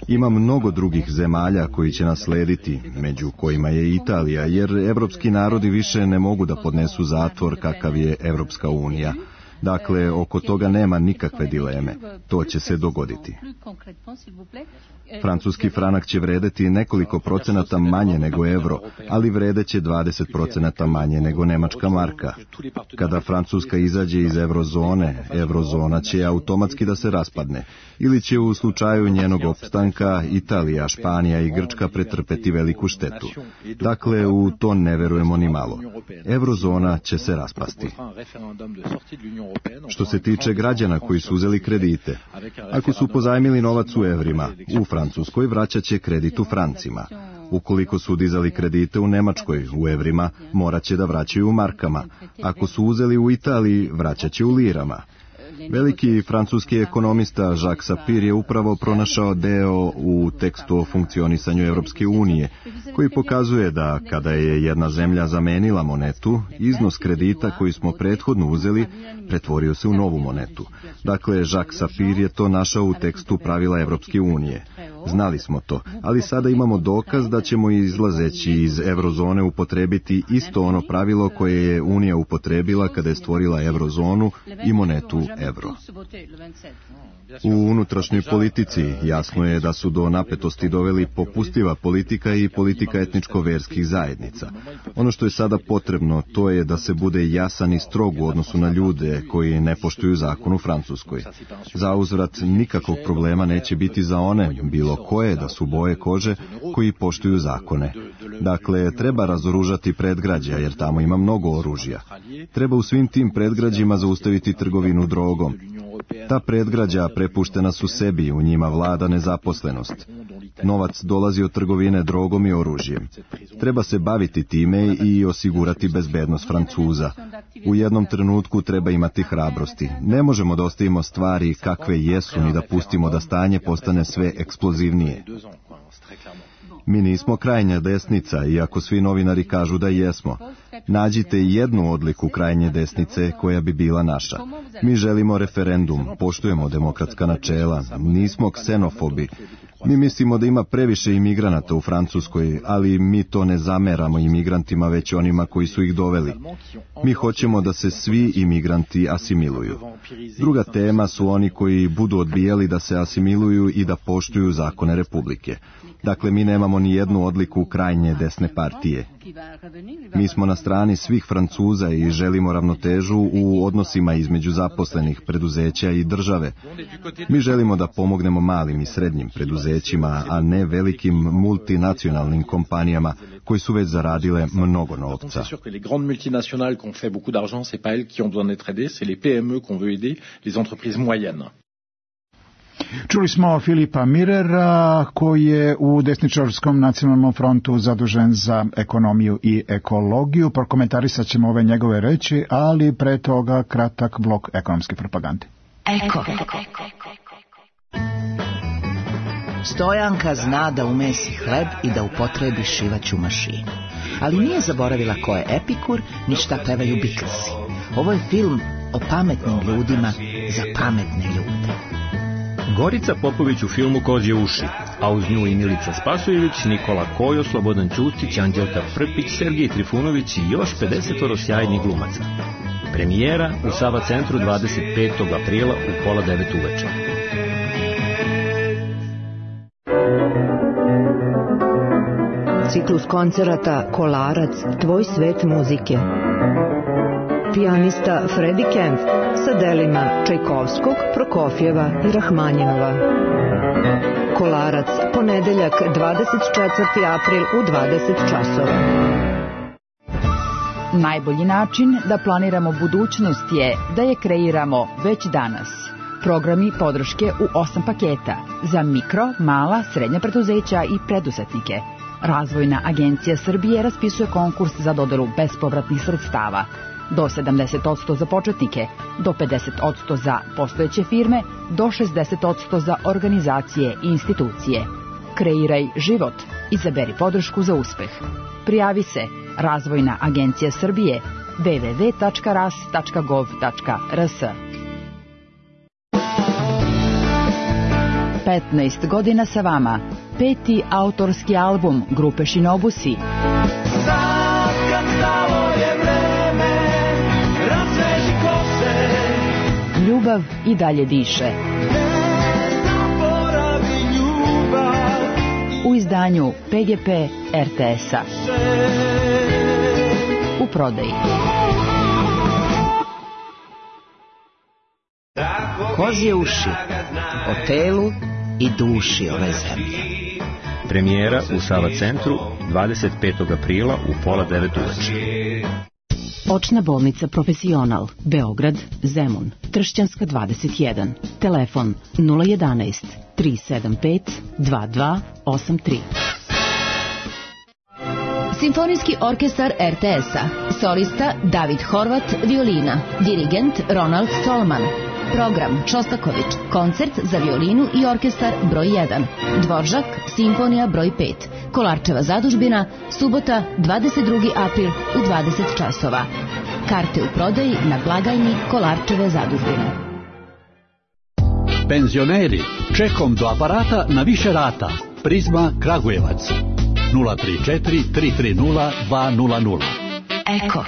J: Ima mnogo drugih zemalja koji će nas slediti, među kojima je Italija, jer evropski narodi više ne mogu da podnesu zatvor kakav je Evropska unija. Dakle, oko toga nema nikakve dileme. To će se dogoditi. Francuski franak će vredeti nekoliko procenata manje nego evro, ali vredeće 20% manje nego nemačka marka. Kada Francuska izađe iz eurozone, eurozona će automatski da se raspadne, ili će u slučaju njenog opstanka Italija, Španija i Grčka pretrpeti veliku štetu. Dakle, u to ne verujemo ni malo. Eurozona će se raspasti. Što se tiče građana koji su uzeli kredite, ako su pozajmili novac u evrima, u Francuskoj vraćat će kredit u francima. Ukoliko su dizali kredite u Nemačkoj u evrima, morat će da vraćaju u markama. Ako su uzeli u Italiji, vraćat će u lirama. Veliki francuski ekonomista Jacques Sapir je upravo pronašao deo u tekstu o funkcionisanju Evropske unije, koji pokazuje da kada je jedna zemlja zamenila monetu, iznos kredita koji smo prethodno uzeli pretvorio se u novu monetu. Dakle, Jacques Sapir je to našao u tekstu pravila Evropske unije. Znali smo to, ali sada imamo dokaz da ćemo izlazeći iz eurozone upotrebiti isto ono pravilo koje je Unija upotrebila kada je stvorila eurozonu i monetu evro. U unutrašnjoj politici jasno je da su do napetosti doveli popustiva politika i politika etničko-verskih zajednica. Ono što je sada potrebno, to je da se bude jasan i strog u odnosu na ljude koji ne poštuju zakon u Francuskoj. Za uzvrat nikakvog problema neće biti za one, bilo koje da su boje kože, koji poštuju zakone. Dakle, treba razoružati predgrađa, jer tamo ima mnogo oružja. Treba u svim tim predgrađima zaustaviti trgovinu drogom. Ta predgrađa prepuštena su sebi, u njima vlada nezaposlenost. Novac dolazi od trgovine drogom i oružjem. Treba se baviti time i osigurati bezbednost Francuza. U jednom trenutku treba imati hrabrosti. Ne možemo da ostavimo stvari kakve jesu ni da pustimo da stanje postane sve eksplozivnije. Mi nismo krajnja desnica, iako svi novinari kažu da jesmo. Nađite jednu odliku krajnje desnice koja bi bila naša. Mi želimo referendum, poštujemo demokratska načela, nismo ksenofobi. Mi mislimo da ima previše imigranata u Francuskoj, ali mi to ne zameramo imigrantima, već onima koji su ih doveli. Mi hoćemo da se svi imigranti asimiluju. Druga tema su oni koji budu odbijali da se asimiluju i da poštuju zakone Republike. Dakle, mi nemamo ni jednu odliku krajnje desne partije. Mi smo na strani svih Francuza i želimo ravnotežu u odnosima između zaposlenih, preduzeća i države. Mi želimo da pomognemo malim i srednjim preduzećima, a ne velikim multinacionalnim kompanijama koji su već zaradile mnogo novca.
I: Les grandes multinationales qui ont fait beaucoup d'argent, c'est pas elles qui ont besoin d'être aidées, c'est les PME qu'on veut aider, les entreprises moyennes.
D: Čuli smo Filipa Mirera, koji je u desničarskom nacionalnom frontu zadužen za ekonomiju i ekologiju. Prokomentarisat ćemo ove njegove reči, ali pre toga kratak blok ekonomske propagande.
B: Eko. Stojanka zna da umesi hleb i da upotrebi šivaću mašinu. Ali nije zaboravila ko je Epikur, ni šta pevaju Beatlesi. Ovo je film o pametnim ljudima za pametne ljude.
K: Gorica Popović u filmu Kozje uši, a uz nju i Milica Spasojević, Nikola Kojo, Slobodan Ćustić, Anđelka Frpić, Sergej Trifunović i još 50 sjajnih glumaca. Premijera u Sava centru 25. aprila u 8:30 uveče.
L: Ciklus koncerata Kolarac, tvoj svet muzike. Pijanista Freddie Kempf sa delima Čajkovskog, Prokofjeva i Rahmanjinova. Kolarac, ponedeljak 24. april u 20 časova.
M: Najbolji način da planiramo budućnost je da je kreiramo već danas. Programi podrške u 8 paketa za mikro, mala, srednja preduzeća i preduzetnike. Razvojna agencija Srbije raspisuje konkurs za dodelu bespovratnih sredstava. Do 70% za početnike, do 50% za postojeće firme, do 60% za organizacije i institucije. Kreiraj život. Izaberi podršku za uspeh. Prijavi se Razvojna agencija Srbije www.ras.gov.rs. 15 godina sa vama. 5. autorski album grupe Šinobusi. Ljubav i dalje diše. U izdanju PGP RTS-a. U prodaji.
B: Kozje uši. O telu i duši ove zemlje.
K: Premijera u Sava centru 25. aprila u 8:30 uveče.
N: Očna bolnica Profesional, Beograd, Zemun, Tršćanska 21, telefon 011 375 2283.
O: Simfonijski orkestar RTS-a, solista David Horvat, violina, dirigent Ronald Solman. Program Šostaković, koncert za violinu i orkestar broj 1, Dvoržak, simfonija broj 5, Kolarčeva zadužbina, subota 22. april u 20 časova. Karte u prodaji na blagajni Kolarčeve zadužbine.
P: Penzioneri, čekom do aparata na više rata. Prizma Kragujevac 034 330 200.
B: Eko.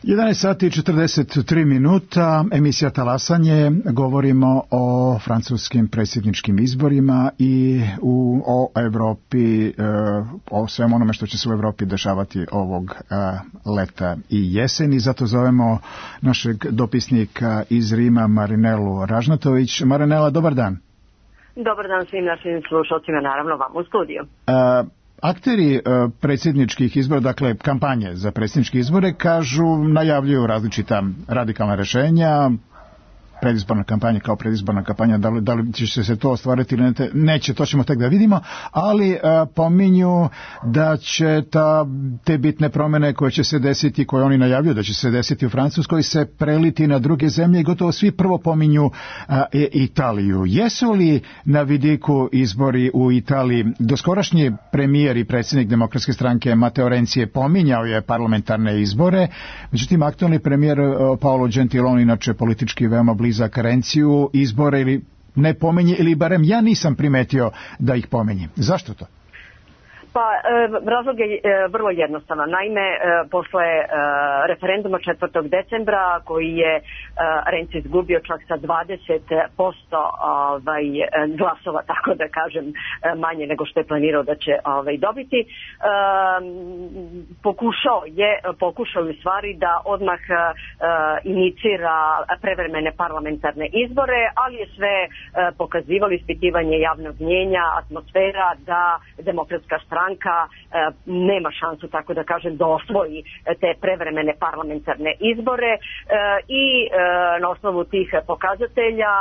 D: 11 sati i 43 minuta, emisija Talasanje, govorimo o francuskim predsjedničkim izborima i o Evropi, o svem onome što će se u Evropi dešavati ovog leta i jeseni. Zato zovemo našeg dopisnika iz Rima, Marinelu Ražnatović. Marinela, dobar dan.
Q: Dobar dan svim našim slušalcima, naravno vam u studiju.
D: Akteri predsjedničkih izbora, dakle kampanje za predsjedničke izbore, najavljuju različita radikalna rešenja, predizborna kampanja kao predizborna kampanja, da li će se to ostvariti ili neće, to ćemo tek da vidimo, ali pominju da će te bitne promene koje će se desiti, koje oni najavljuju da će se desiti u Francuskoj, se preliti na druge zemlje i gotovo svi prvo pominju Italiju. Jesu li na vidiku izbori u Italiji? Doskorašnji premijer i predsjednik Demokratske stranke Matteo Renzi je pominjao je parlamentarne izbore, međutim aktualni premijer Paolo Gentiloni, inače politički veoma blizak Renziju, izbore ili ne pominje, ili barem ja nisam primetio da ih pominje. Zašto to?
Q: Pa razlog je vrlo jednostavan. Naime, posle referenduma 4. decembra koji je Renzi izgubio čak sa 20% glasova, tako da kažem, manje nego što je planirao da će dobiti, pokušao u stvari da odmah inicira prevremene parlamentarne izbore, ali je sve pokazivalo ispitivanje javnog mnjenja, atmosfera da Demokratska stranka nema šansu, tako da kažem, da osvoji te prevremene parlamentarne izbore i na osnovu tih pokazatelja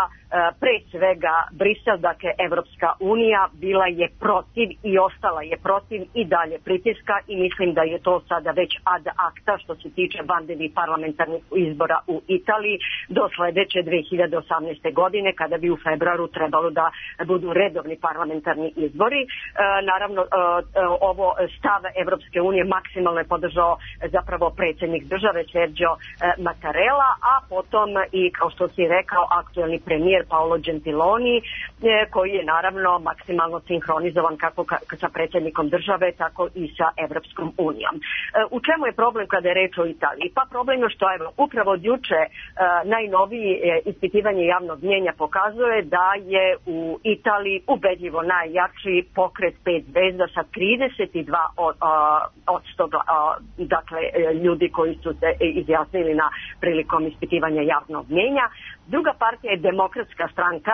Q: pre svega Brisel, dakle Evropska unija, bila je protiv i ostala je protiv i dalje pritiska i mislim da je to sada već ad acta što se tiče vanrednih parlamentarnih izbora u Italiji do sledeće 2018. godine, kada bi u februaru trebalo da budu redovni parlamentarni izbori. Naravno, ovo stav Evropske unije maksimalno je podržao zapravo predsjednik države Sergio Mattarella, a potom i, kao što si rekao, aktuelni premijer Paolo Gentiloni, koji je naravno maksimalno sinhronizovan kako sa predsjednikom države, tako i sa Evropskom unijom. U čemu je problem kada je reč o Italiji? Pa problem je što upravo od juče najnoviji ispitivanje javnog mnjenja pokazuje da je u Italiji ubedljivo najjači pokret 5 zvezda sa 32% dakle ljudi koji su se izjasnili na prilikom ispitivanja javnog mnjenja. Druga partija je Demokratska stranka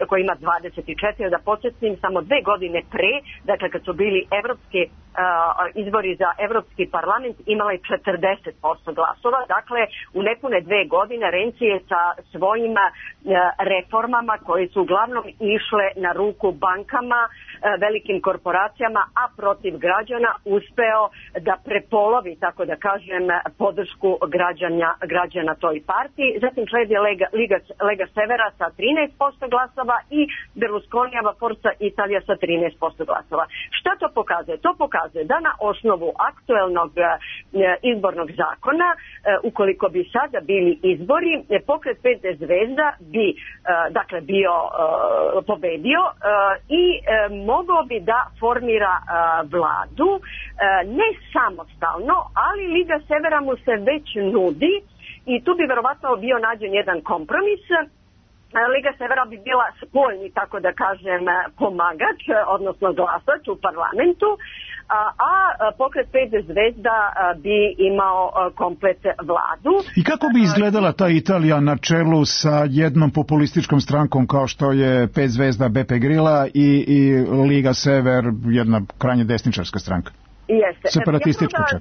Q: koja ima 24, da podsjetim, samo 2 godine pre, dakle kad su bili evropski izbori za Evropski parlament, imala je 40% glasova. Dakle, u nepune 2 godine Renzi je sa svojim reformama koje su uglavnom išle na ruku bankama, velikim korporacijama, a protiv građana uspeo da prepolovi, tako da kažem, podršku građana toj partiji. Zatim sledi Lega Severa sa 13% glasova i Berlusconijeva Forza Italija sa 13% glasova. Šta to pokazuje? To pokazuje da na osnovu aktuelnog izbornog zakona, ukoliko bi sada bili izbori, pokret 5 zvezda bi dakle bio pobedio i mogao bi da formira vladu, ne samostalno, ali Liga Severa mu se već nudi i tu bi verovatno bio nađen jedan kompromis. Liga Severa bi bila spoljni, tako da kažem, pomagač, odnosno glasač u parlamentu, a pokret 5 zvezda bi imao komplet vladu.
D: I kako bi izgledala ta Italija na čelu sa jednom populističkom strankom kao što je 5 zvezda Beppe Grilla i Liga Sever, jedna krajnje desničarska stranka?
Q: Jeste.
D: Separatistička čak.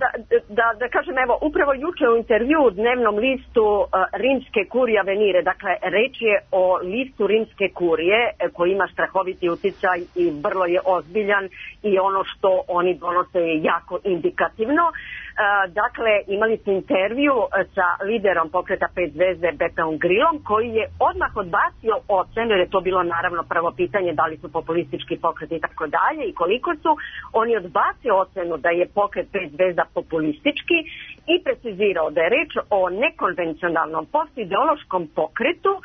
Q: Da kažem, evo, upravo juče u intervju u dnevnom listu Rimske kurije Avenire, dakle, reč je o listu Rimske kurije koji ima strahoviti uticaj i vrlo je ozbiljan i ono što oni donose je jako indikativno. Dakle, imali smo intervju sa liderom pokreta 5 zvezde Beppom Grillom, koji je odmah odbacio ocenu, jer je to bilo naravno prvo pitanje da li su populistički pokreti i tako dalje i koliko su. On je odbacio ocenu da je pokret 5 zvezda populistički i precizirao da je reč o nekonvencionalnom postideološkom pokretu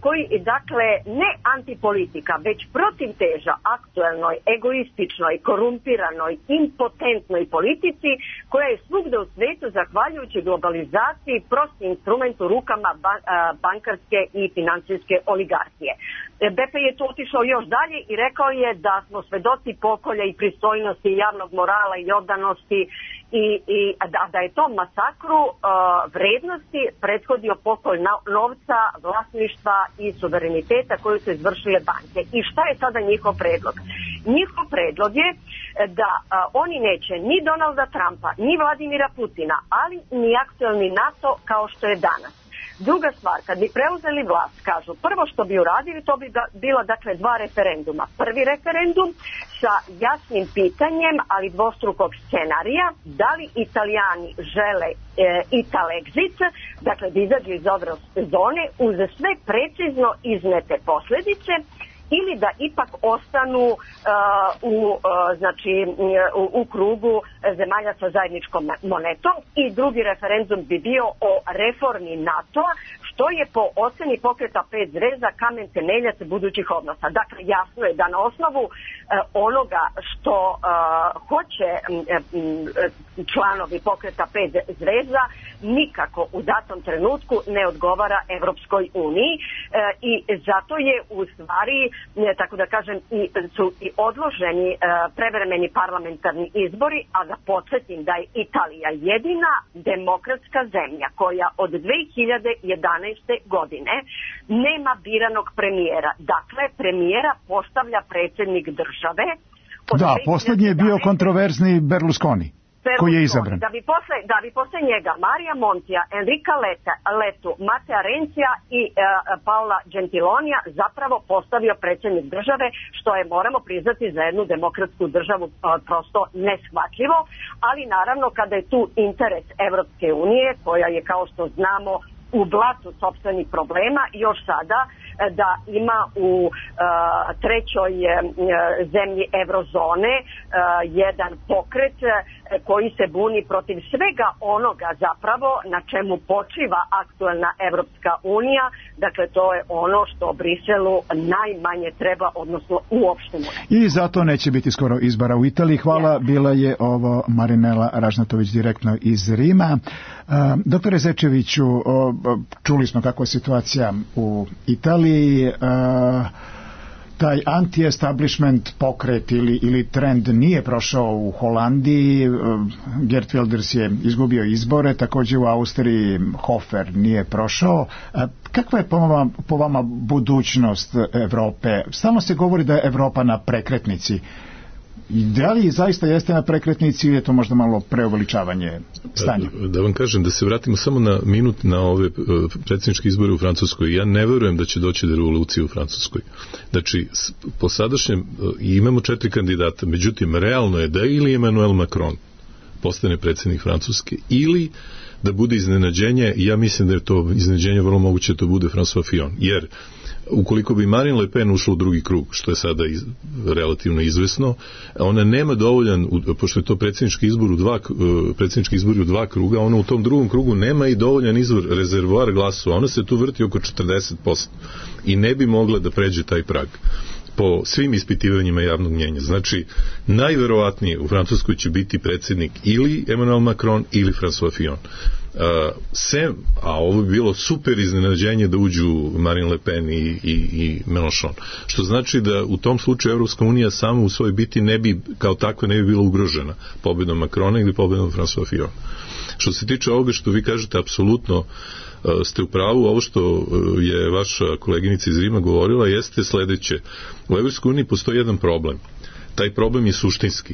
Q: koji, dakle, ne antipolitika, već protivteža aktuelnoj, egoističnoj, korumpiranoj, impotentnoj politici koja je svugde u svetu, zahvaljujući globalizaciji, prosti instrument u rukama bankarske i financijske oligarhije. Beppe je to otišao još dalje i rekao je da smo svedoci pokolja i pristojnosti, javnog morala i oddanosti i da je tom masakru vrednosti prethodio pokolj novca, vlasništva i suvereniteta koju su izvršile banke. I šta je sada njihov predlog? Njihov predlog je da oni neće ni Donalda Trumpa, ni Vladimira Putina, ali ni aktuelni NATO kao što je danas. Druga stvar, kad bi preuzeli vlast, kažu, prvo što bi uradili, to bi bilo dakle 2 referenduma. Prvi referendum sa jasnim pitanjem, ali dvostrukog scenarija, da li Italijani žele Italexit, dakle da izađu iz eurozone uz sve precizno iznete posljedice, ili da ipak ostanu u krugu zemalja sa zajedničkom monetom. I drugi referendum bi bio o reformi NATO-a, što je po oceni pokreta 5 zvezda kamen temeljac budućih odnosa. Dakle, jasno je da na osnovu onoga što hoće članovi pokreta 5 zvezda nikako u datom trenutku ne odgovara Evropskoj uniji i zato je u stvari, tako da kažem, su i odloženi prevremeni parlamentarni izbori, a da podsjetim da je Italija jedina demokratska zemlja koja od 2011. godine nema biranog premijera. Dakle, premijera postavlja predsjednik države.
D: Da, posljednji je bio kontroverzni Berlusconi, koji je izabran.
Q: Da bi posle njega Marija Montija, Enrica Letu, Matea Renzija i Paola Gentilonija zapravo postavio predsjednik države, što je, moramo priznati, za jednu demokratsku državu prosto neshvatljivo, ali naravno kada je tu interes Evropske unije, koja je, kao što znamo, u blatu sopstvenih problema, još sada da ima u trećoj zemlji eurozone jedan pokret koji se buni protiv svega onoga zapravo na čemu počiva aktualna Evropska unija. Dakle, to je ono što Briselu najmanje treba, odnosno uopšte ne.
D: I zato neće biti skoro izbora u Italiji. Hvala, bila je ovo Marinela Ražnatović direktno iz Rima. Doktore Zečeviću, čuli smo kakva je situacija u Italiji. Taj anti-establishment pokret ili trend nije prošao u Holandiji. Geert Wilders je izgubio izbore, također u Austriji Hofer nije prošao. Kakva je po vama budućnost Evrope? Stalno se govori da je Evropa na prekretnici. Da li zaista jeste na prekretnici ili je to možda malo preuveličavanje stanja?
F: Da vam kažem, da se vratimo samo na minut na ove predsjedničke izbore u Francuskoj. Ja ne verujem da će doći do revolucije u Francuskoj. Znači, po sadašnjem imamo 4 kandidata, međutim, realno je da ili Emmanuel Macron postane predsjednik Francuske ili da bude iznenađenje, ja mislim da je to iznenađenje vrlo moguće da to bude François Fillon, jer ukoliko bi Marine Le Pen ušla u drugi krug, što je sada relativno izvesno, ona nema dovoljan, pošto je to predsjednički izbor u 2 kruga, ona u tom drugom krugu nema i dovoljan izvor rezervoar glasova, ona se tu vrti oko 40% i ne bi mogla da pređe taj prag po svim ispitivanjima javnog mnjenja. Znači, najverovatnije u Francuskoj će biti predsjednik ili Emmanuel Macron ili François Fillon. A ovo bi bilo super iznenađenje da uđu Marine Le Pen i Mélenchon. Što znači da u tom slučaju Evropska unija samo u svojoj biti ne bi, kao takva, ne bi bila ugrožena pobjedom Macrona ili pobjedom François Fillon. Što se tiče ovoga što vi kažete, apsolutno ste u pravu. Ovo što je vaša koleginica iz Rima govorila jeste sledeće. U Evropskoj uniji postoji jedan problem. Taj problem je suštinski.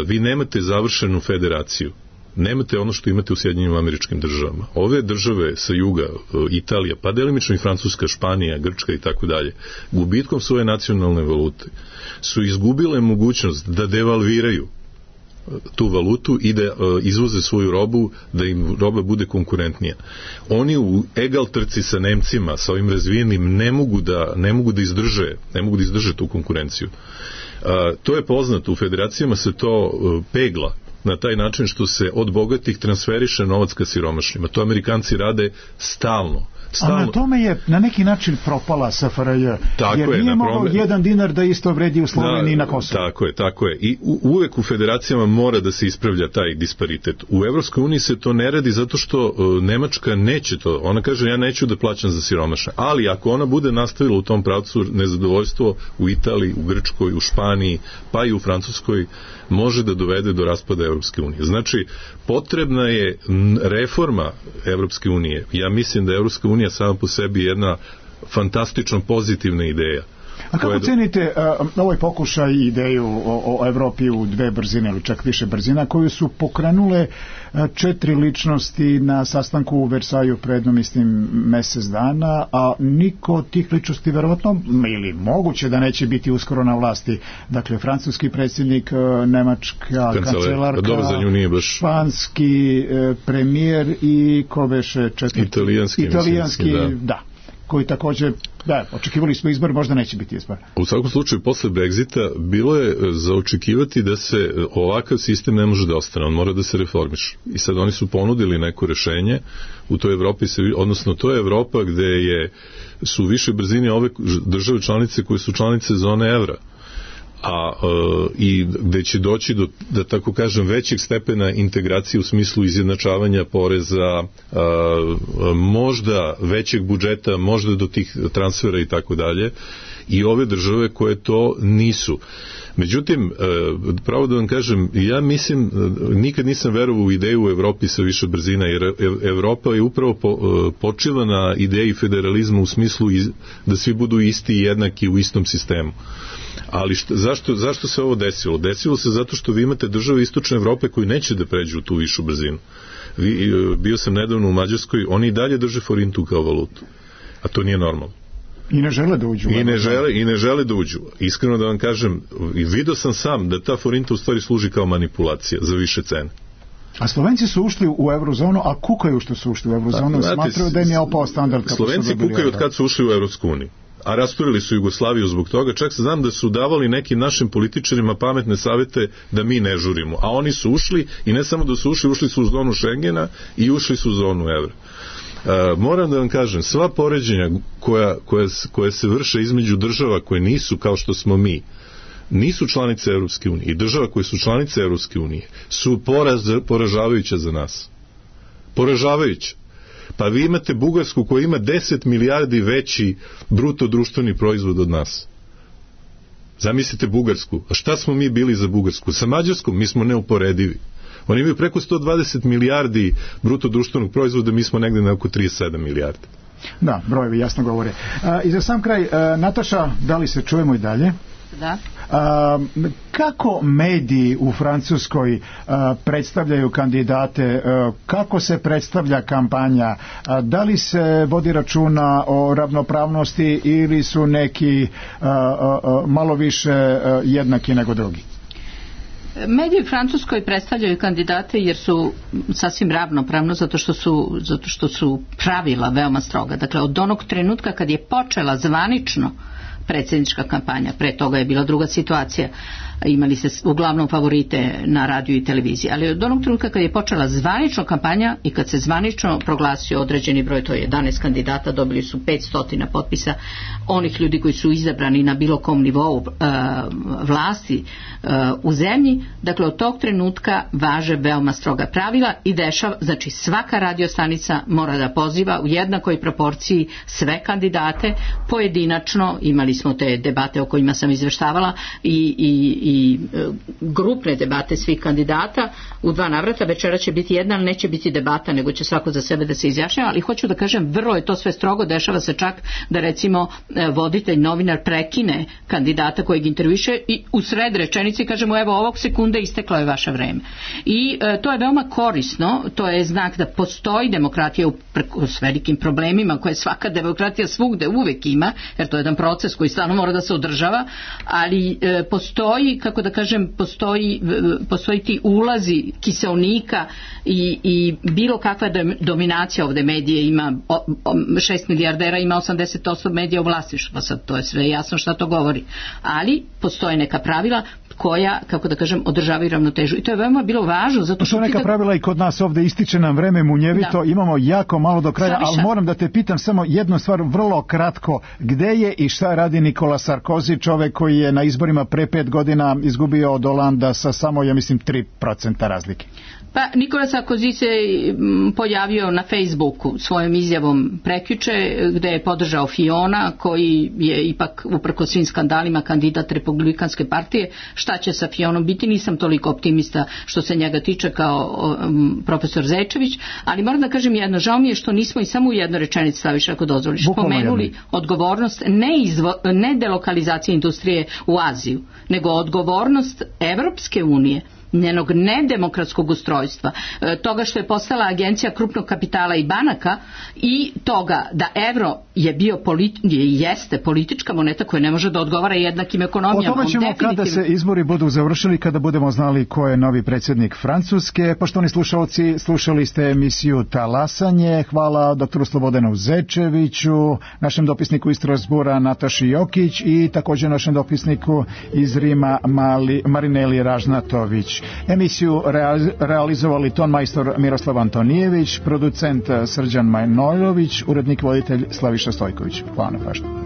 F: Vi nemate završenu federaciju. Nemate ono što imate u Sjedinjenim Američkim Državama. Ove države sa juga, Italija, pa delimično i Francuska, Španija, Grčka i tako dalje, gubitkom svoje nacionalne valute su izgubile mogućnost da devalviraju tu valutu i da izvoze svoju robu, da im roba bude konkurentnija. Oni u egal trci sa Nemcima, sa ovim razvijenim, ne mogu da izdrže tu konkurenciju. To je poznato, u federacijama se to pegla na taj način što se od bogatih transferiše novac ka siromašnima. To Amerikanci rade stalno.
D: A na tome je na neki način propala SFRJ, jer nije mogao 1 dinar da isto vredi u Sloveniji na Kosovu.
F: Tako je. I uvek u federacijama mora da se ispravlja taj disparitet. U Evropskoj uniji se to ne radi zato što Nemačka neće to. Ona kaže, ja neću da plaćam za siromašne. Ali ako ona bude nastavila u tom pravcu, nezadovoljstvo u Italiji, u Grčkoj, u Španiji, pa i u Francuskoj, može da dovede do raspada Evropske unije. Znači, potrebna je reforma Evropske unije. Ja mislim da Evropska unija sama po sebi jedna fantastično pozitivna ideja.
D: A kako cenite ovaj pokušaj i ideju o Evropi u dve brzine ili čak više brzina koju su pokrenule 4 ličnosti na sastanku u Versaju pred mesec dana, a niko od tih ličnosti verovatno ili moguće da neće biti uskoro na vlasti. Dakle, francuski predsjednik, nemačka kancelarka, španski premijer i ko beše italijanski da, koji također, očekivali smo izbor, možda neće biti izbor.
F: U svakom slučaju, posle Brexita bilo je za očekivati da se ovakav sistem ne može da ostane, on mora da se reformiše. I sad oni su ponudili neko rešenje u toj Evropi, odnosno to je Evropa gde su više brzine ove države članice koje su članice zone evra, i gde će doći do, da tako kažem, većeg stepena integracije u smislu izjednačavanja poreza, možda većeg budžeta, možda do tih transfera i tako dalje, i ove države koje to nisu. Međutim, pravo da vam kažem, ja mislim, nikad nisam verovao u ideju u Evropi sa više brzina, jer Evropa je upravo počela na ideji federalizma u smislu da svi budu isti i jednaki u istom sistemu. Ali zašto se ovo desilo? Desilo se zato što vi imate države istočne Evrope koji neće da pređu u tu višu brzinu. Bio sam nedavno u Mađarskoj, oni i dalje drže forintu kao valutu, a to nije normalno.
D: I ne žele da uđu.
F: I ne žele da uđu. Iskreno da vam kažem, vidio sam sam da ta forinta u stvari služi kao manipulacija za više cene.
D: A Slovenci su ušli u eurozonu, a kukaju što su ušli u eurozonu, smatraju da im je opao standard.
F: Slovenci kukaju od kad su ušli u Evropsku uniju, a rasturili su Jugoslaviju zbog toga. Čak znam da su davali nekim našim političarima pametne savete da mi ne žurimo, a oni su ušli, i ne samo da su ušli, ušli su u zonu Schengena i ušli su u zonu evra. Moram da vam kažem, sva poređenja koja se vrše između država koje nisu kao što smo mi, nisu članice Evropske unije, i država koje su članice Evropske unije su poražavajuća za nas. Poražavajuća. Pa vi imate Bugarsku koja ima 10 milijardi veći bruto društveni proizvod od nas. Zamislite Bugarsku. A šta smo mi bili za Bugarsku? Sa Mađarskom mi smo neuporedivi. Oni imaju preko 120 milijardi bruto društvenog proizvoda, mi smo negde na oko 37 milijardi.
D: Da, brojevi jasno govore. I za sam kraj, Nataša, da li se čujemo i dalje?
C: Da.
D: Kako mediji u Francuskoj predstavljaju kandidate, kako se predstavlja kampanja, da li se vodi računa o ravnopravnosti ili su neki malo više jednaki nego drugi?
C: Mediji u Francuskoj predstavljaju kandidate jer su sasvim ravnopravno, zato što su pravila veoma stroga. Dakle, od onog trenutka kad je počela zvanično predsjednička kampanja, pre toga je bila druga situacija, imali se uglavnom favorite na radiju i televiziji, ali od onog trenutka kad je počela zvanično kampanja i kad se zvanično proglasio određeni broj, to je 11 kandidata, dobili su 500 potpisa onih ljudi koji su izabrani na bilo kom nivou vlasti u zemlji. Dakle, od tog trenutka važe veoma stroga pravila i znači svaka radiostanica mora da poziva u jednakoj proporciji sve kandidate pojedinačno. Imali smo te debate o kojima sam izveštavala i grupne debate svih kandidata u 2 navrata. Večera će biti jedna, ali neće biti debata, nego će svako za sebe da se izjašnjava, ali hoću da kažem, vrlo je to sve strogo. Dešava se čak da recimo voditelj, novinar prekine kandidata kojeg intervjuše i u sred rečenice kažemo, evo ovog sekunde isteklo je vaše vreme. I to je veoma korisno, to je znak da postoji demokratija s velikim problemima koje svaka demokratija svugde uvek ima, jer to je jedan proces koji stalno mora da se održava, ali postoji, kako da kažem, postoji ti ulazi kiseonika i bilo kakva dominacija. Ovde medije ima 6 milijardera, ima 80% medija u vlasništvu, pa sad to je sve jasno šta to govori, ali postoje neka pravila koja, kako da kažem, održavaju ravnotežu. I to je veoma bilo važno. Zato što
D: neka pravila i kod nas ovde, ističe nam vreme munjevito, imamo jako malo do kraja, ali moram da te pitam samo jednu stvar vrlo kratko. Gde je i šta radi Nikola Sarkozy, čovek koji je na izborima pre 5 godina izgubio od Olanda sa samo, ja mislim, 3% razlike?
C: Pa Nikola Sarkozy se pojavio na Facebooku svojom izjavom prekjuče, gde je podržao Fiona, koji je ipak uprkos svim skandalima kandidat Republikanske partije. Šta će sa Fionom biti, nisam toliko optimista što se njega tiče kao profesor Zečević, ali moram da kažem jedno, žao mi je što nismo i samo u jednoj rečenici, Slaviša, ako dozvoliš, pomenuli odgovornost ne delokalizacija industrije u Aziju, nego odgovornost Evropske unije, njenog nedemokratskog ustrojstva, toga što je postala agencija krupnog kapitala i banaka i toga da evro je bio jeste politička moneta koja ne može da odgovara jednakim ekonomijama.
D: O tome ćemo kada se izbori budu završili, kada budemo znali ko je novi predsjednik Francuske. Poštovani slušalci, slušali ste emisiju Talasanje. Hvala doktoru Slobodanu Zečeviću, našem dopisniku iz Strasbura Nataši Jokić i također našem dopisniku iz Rima Marineli Ražnatović. Emisiju realizovali tonmajstor Miroslav Antonijević, producent Srđan Manojlović, urednik voditelj Slaviša Stojković. Hvala na pažnju.